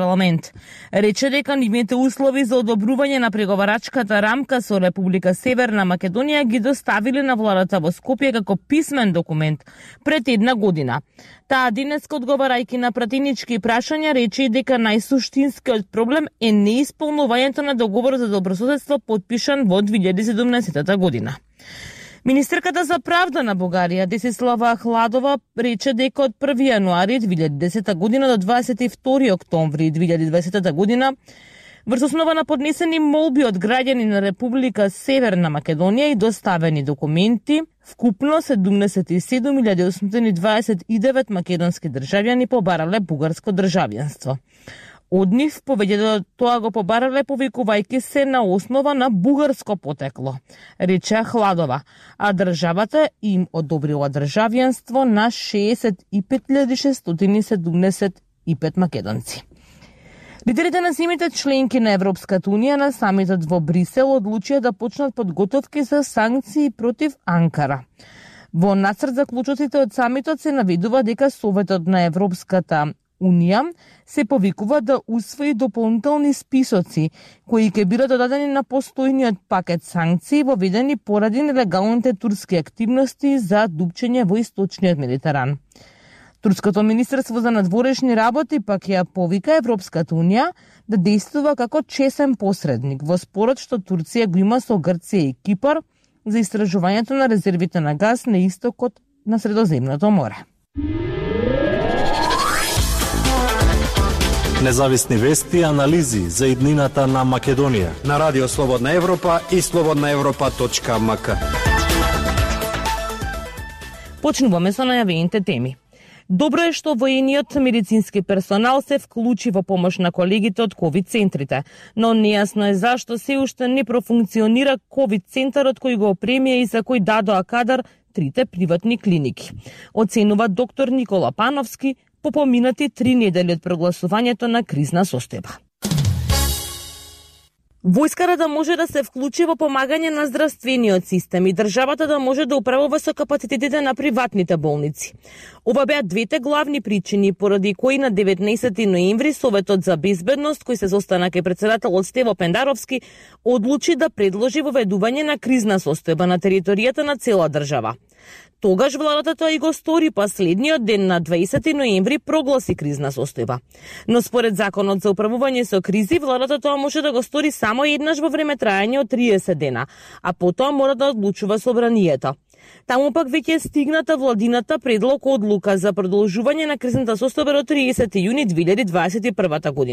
парламент. Рече дека нивните услови за одобрување на преговарачката рамка со Република Северна Македонија ги доставиле на владата во Скопје како писмен документ пред една година. Таа денеска, одговарајќи на пратенички прашања, рече дека најсуштинскиот проблем е неисполнувањето на договорот за добрососедство подпишан во 2017 година. Министерката за правда на Бугарија, Десислава Ахладова, рече дека од 1 јануари 2010 година до 22 октомври 2020 година, врз основа на поднесени молби од граѓани на Република Северна Македонија и доставени документи, вкупно 77.829 македонски државјани побарале бугарско државјанство. Од нив повеќето тоа го побарале повикувајќи се на основа на бугарско потекло, рече Ахладова, а државата им одобрила државјанство на 65.675 македонци. Лидерите на земјите членки на Европската унија на самитот во Брисел одлучија да почнат подготовки за санкции против Анкара. Во нацрт заклучоците од самитот се наведува дека Советот на Европската Унија се повикува да усвои дополнителни списоци кои ќе бидат додадени на постојниот пакет санкции воведени поради нелегалните турски активности за дупчење во источниот Медитеран. Турското министерство за надворешни работи пак ја повика Европската Унија да действува како чесен посредник во спорот што Турција го има со Грција и Кипар за истражувањето на резервите на газ на истокот на Средоземното море. Независни вести и анализи за иднината на Македонија на Радио Слободна Европа и slobodnaevropa.mk. Почнуваме со најавените теми. Добро е што воениот медицински персонал се вклучи во помош на колегите од ковид центрите, но нејасно е зашто се уште не профункционира ковид центарот кој го опремија и за кој дадоа кадар трите приватни клиники. Оценува доктор Никола Пановски по поминати 3 недели од прогласувањето на кризна состојба. Војската да може да се вклучи во помагање на здравствениот систем и државата да може да управува со капацитетите на приватните болници. Ова беа двете главни причини поради кои на 19 ноември Советот за безбедност, кој се состана кај претседателот Стево Пендаровски, одлучи да предложи воведување на кризна состојба на територијата на цела држава. Тогаш владата тоа и го стори, па следниот ден на 20 ноември прогласи кризна состојба. Но според законот за управување со кризи, владата тоа може да го стори само еднаш во време трајање од 30 дена, а потоа мора да одлучува собранието. Таму пак веќе стигната владината предлог одлука за продолжување на кризната состојба до 30 јуни 2021 година.